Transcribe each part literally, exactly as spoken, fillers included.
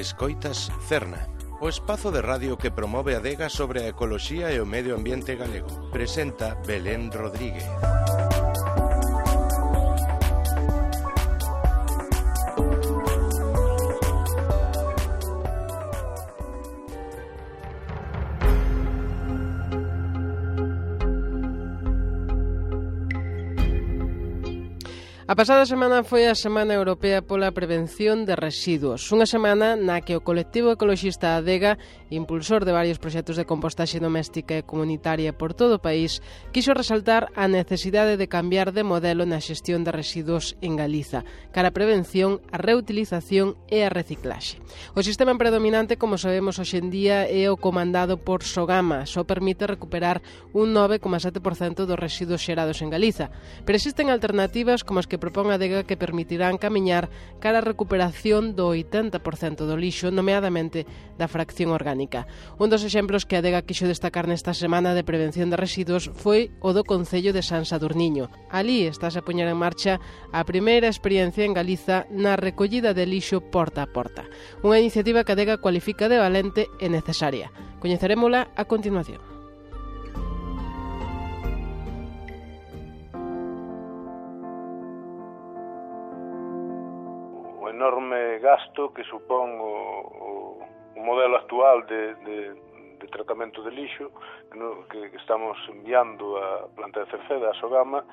Escoitas Cerna, o espazo de radio que promove a adega sobre a ecoloxía e o medio ambiente galego. Presenta Belén Rodríguez. A pasada semana foi a Semana Europea pola Prevención de Residuos, unha semana na que o colectivo ecoloxista Adega, impulsor de varios proxectos de compostaxe doméstica e comunitaria por todo o país, quixo resaltar a necesidade de cambiar de modelo na xestión de residuos en Galiza, cara a prevención, a reutilización e a reciclaxe. O sistema predominante, como sabemos hoxe en día, é o comandado por Sogama, só permite recuperar un nove coma sete por cento dos residuos xerados en Galiza, pero existen alternativas como as que propón a Adega que permitirán camiñar cara a recuperación do oitenta por cento do lixo, nomeadamente da fracción orgánica. Un dos exemplos que a Adega quixo destacar nesta semana de prevención de residuos foi o do Concello de San Sadurniño. Alí estás a poñer en marcha a primeira experiencia en Galiza na recollida de lixo porta a porta. Unha iniciativa que a Adega cualifica de valente e necesaria. Coñecerémola a continuación. Enorme gasto que supón o, o, o modelo actual de, de, de tratamento de lixo que, no, que, que estamos enviando a planta de Cerceda, a Sogama,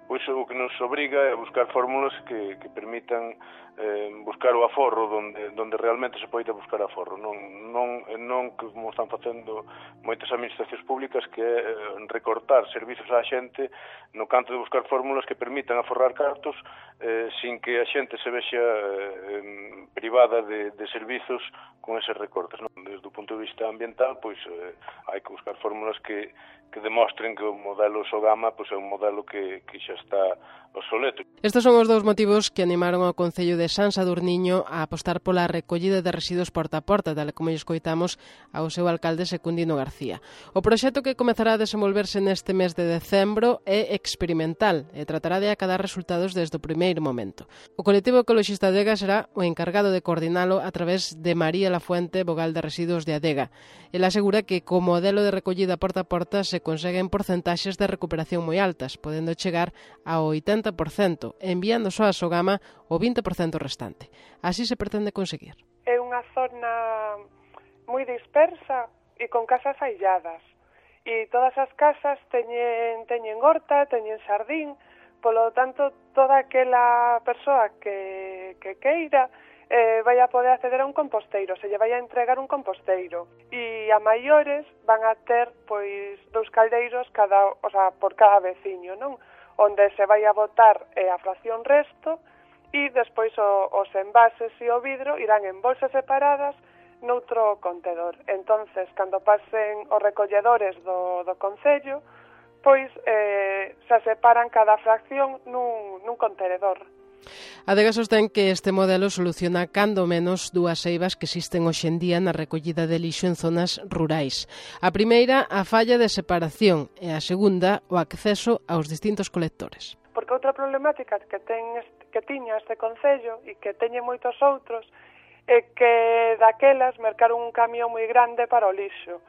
pois o que nos obriga é buscar fórmulas que, que permitan eh, buscar o aforro donde, donde realmente se poida buscar aforro, non, non, non como están facendo moitas administracións públicas, que é eh, recortar servizos á xente no canto de buscar fórmulas que permitan aforrar cartos eh, sin que a xente se vexa eh, privada de, de servizos con eses recortes, non? Desde o punto de vista ambiental, pois eh, hai que buscar fórmulas que, que demostren que o modelo Sogama pois, é un modelo que, que xa está obsoleto. Estes son os dous motivos que animaron ao Concello de San Sadurniño a apostar pola recollida de residuos porta a porta, tal como lle escoitamos ao seu alcalde Secundino García. O proxecto que comezará a desenvolverse neste mes de decembro é experimental e tratará de acadar resultados desde o primeiro momento. O colectivo ecoloxista Adega será o encargado de coordinalo a través de María Lafuente, vogal de residuos de Adega. Ela asegura que co modelo de recollida porta a porta se conseguen porcentaxes de recuperación moi altas, podendo chegar ao oitenta por cento, enviando só a Sogama o vinte por cento restante. Así se pretende conseguir. É unha zona moi dispersa e con casas ailladas. E todas as casas teñen, teñen horta, teñen xardín, polo tanto, toda aquela persoa que, que queira eh, vai a poder acceder a un composteiro, se lle vai a entregar un composteiro. E a maiores van a ter pois dous caldeiros cada, o sea, por cada veciño, non? Onde se vai a botar eh, a fracción resto e despois o, os envases e o vidro irán en bolsas separadas noutro contedor. Entonces, cando pasen os recolledores do, do Concello, pois eh, se separan cada fracción nun, nun contenedor. A Adega sostén que este modelo soluciona cando menos dúas eivas que existen hoxe en día na recollida de lixo en zonas rurais. A primeira, a falla de separación, e a segunda, o acceso aos distintos colectores. Porque outra problemática que, ten, que tiña este Concello e que teñen moitos outros é que daquelas mercaron un camión moi grande para o lixo.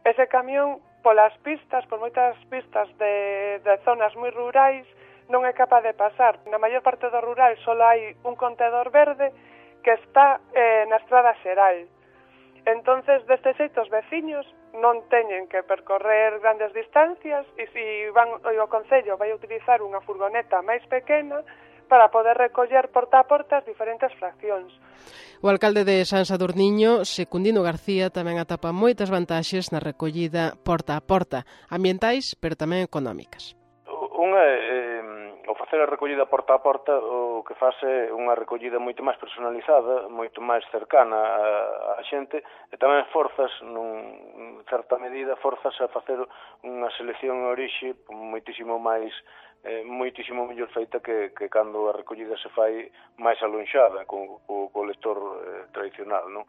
Ese camión, polas pistas, por moitas pistas de, de zonas moi rurais, non é capaz de pasar. Na maior parte do rural só hai un contedor verde que está eh, na estrada xeral. Entonces, deste xeito, os veciños non teñen que percorrer grandes distancias e se van, o Concello vai utilizar unha furgoneta máis pequena para poder recoller porta a porta as diferentes fraccións. O alcalde de San Sadurniño, Secundino García, tamén atapa moitas vantaxes na recollida porta a porta, ambientais, pero tamén económicas. Unha é o facer a recollida porta a porta, o que faz é unha recollida moito máis personalizada, moito máis cercana á xente, e tamén forzas, nun certa medida, forzas a facer unha selección orixe moitísimo máis eh, moitísimo mellor feita que, que cando a recollida se fai máis alonxada co, co, co lector eh, tradicional, non?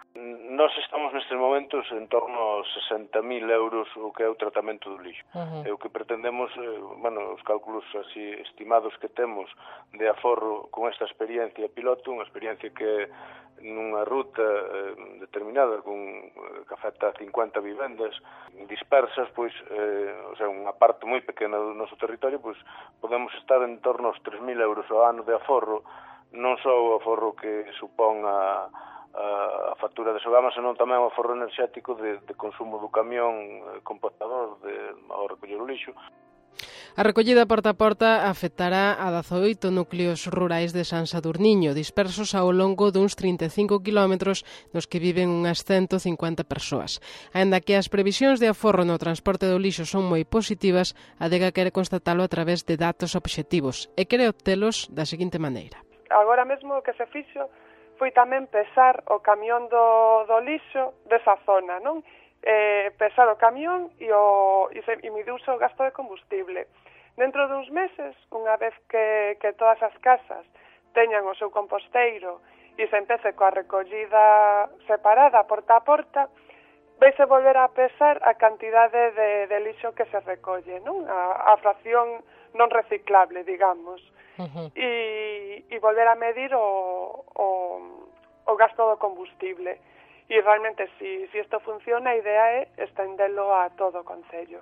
Nós estamos nestes momentos en torno aos sesenta mil euros o que é o tratamento do lixo. Uh-huh. E o que pretendemos, eh, bueno, os cálculos así estimados que temos de aforro con esta experiencia piloto, unha experiencia que nunha ruta eh, determinada con eh, que afecta a cincuenta vivendas dispersas, pois, eh, o sea, unha parte moi pequena do noso territorio, pois podemos estar en torno aos tres mil euros ao ano de aforro, non só o aforro que supón a, a, a factura de Sogama, senón tamén o aforro enerxético de, de consumo do camión eh, compostador de, ao recoller o lixo. A recollida porta a porta afectará a dezaoito núcleos rurais de San Sadurniño, dispersos ao longo duns trinta e cinco quilómetros nos que viven unhas ciento cincuenta persoas. Aínda que as previsións de aforro no transporte do lixo son moi positivas, a Adega quere constatalo a través de datos obxectivos e quere obtelos da seguinte maneira. Agora mesmo o que se fixo foi tamén pesar o camión do, do lixo desa zona, non? Eh, pesar o camión e, o, e, se, e midiuse o gasto de combustible. Dentro duns meses, unha vez que, que todas as casas teñan o seu composteiro e se empece coa recollida separada porta a porta, veise volver a pesar a cantidade de, de lixo que se recolle, non? A, a fracción non reciclable, digamos. Uh-huh. E, e volver a medir o, o, o gasto do combustible. E realmente, se si, si isto funciona, a idea é estendelo a todo o concello.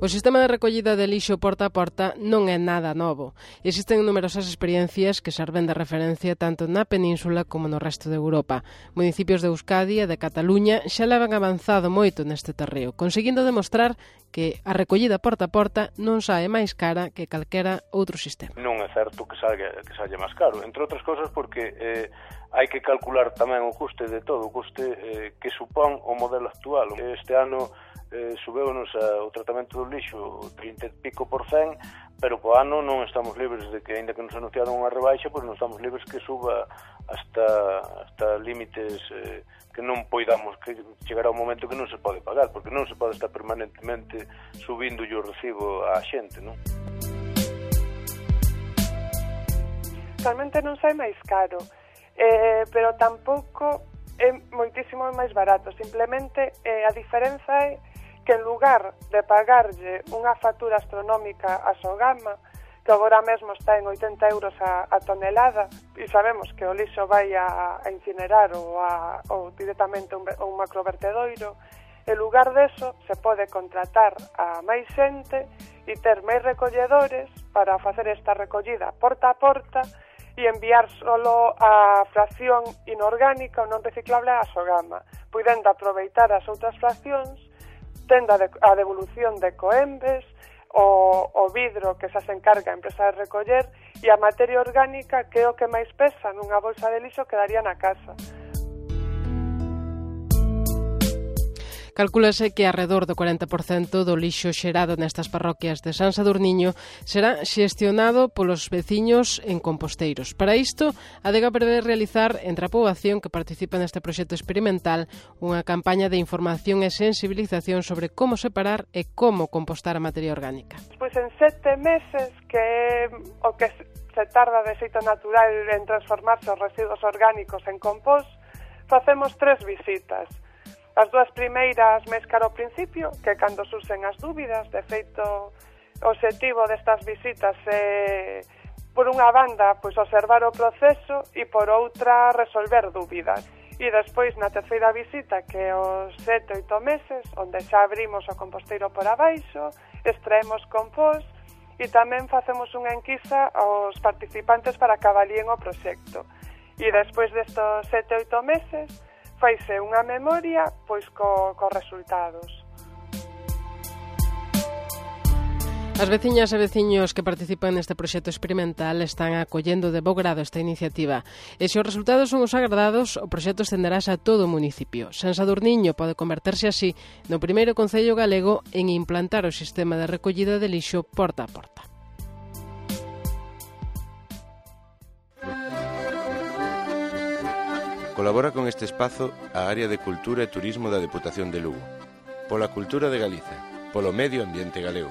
O sistema de recollida de lixo porta a porta non é nada novo. Existen numerosas experiencias que serven de referencia tanto na península como no resto de Europa. Municipios de Euskadi e de Cataluña xa levan avanzado moito neste terreo, conseguindo demostrar que a recollida porta a porta non sae máis cara que calquera outro sistema. Non é certo que saia, que saia máis caro, entre outras cousas porque eh, hai que calcular tamén o custe de todo, o custe eh, que supón o modelo actual. Este ano eh, subeunos o tratamento do lixo trinta e pico por cen, pero po ano non estamos libres de que, ainda que nos anunciaron unha rebaixa, pois non estamos libres que suba hasta, hasta límites eh, que non poidamos, que chegará un momento que non se pode pagar, porque non se pode estar permanentemente subindo o recibo á xente, non? Realmente non sai máis caro, eh, pero tampouco é moitísimo máis barato. Simplemente eh, a diferenza é que en lugar de pagarlle unha factura astronómica a Sogama, que agora mesmo está en oitenta euros a, a tonelada, e sabemos que o lixo vai a, a incinerar ou, a, ou directamente un, un macrovertedoiro, en lugar deso se pode contratar a máis xente e ter máis recolledores para facer esta recollida porta a porta e enviar solo a fracción inorgánica ou non reciclable a Sogama, podendo aproveitar as outras fraccións, tendo a devolución de coembes, o, o vidro que xa se encarga a empresa de recoller e a materia orgánica, que é o que máis pesa nunha bolsa de lixo, quedaría na casa. Calcúlase que arredor do cuarenta por cento do lixo xerado nestas parroquias de San Sadurniño será xestionado polos veciños en composteiros. Para isto, a Adega prevé realizar entre a poboación que participa neste proxecto experimental unha campaña de información e sensibilización sobre como separar e como compostar a materia orgánica. Pois en sete meses, que é o que se tarda de xeito natural en transformarse os residuos orgánicos en compost, facemos tres visitas. As dúas primeiras máis caro ao principio, que cando surxen as dúbidas. De feito, o obxectivo destas visitas é, por unha banda, pois observar o proceso e por outra resolver dúbidas. E despois, na terceira visita, que é os sete, oito meses, onde xa abrimos o composteiro por abaixo, extraemos compost e tamén facemos unha enquisa aos participantes para que avalíen o proxecto. E despois destos sete, oito meses, faise unha memoria pois co, co resultados. As veciñas e veciños que participan neste proxecto experimental están acollendo de bo grado esta iniciativa. E se os resultados son os agradados, o proxecto estenderase a todo o municipio. San Sadurniño pode converterse así no primeiro concello galego en implantar o sistema de recollida de lixo porta a porta. Colabora con este espazo a Área de Cultura e Turismo da Deputación de Lugo. Pola cultura de Galiza, polo medio ambiente galego.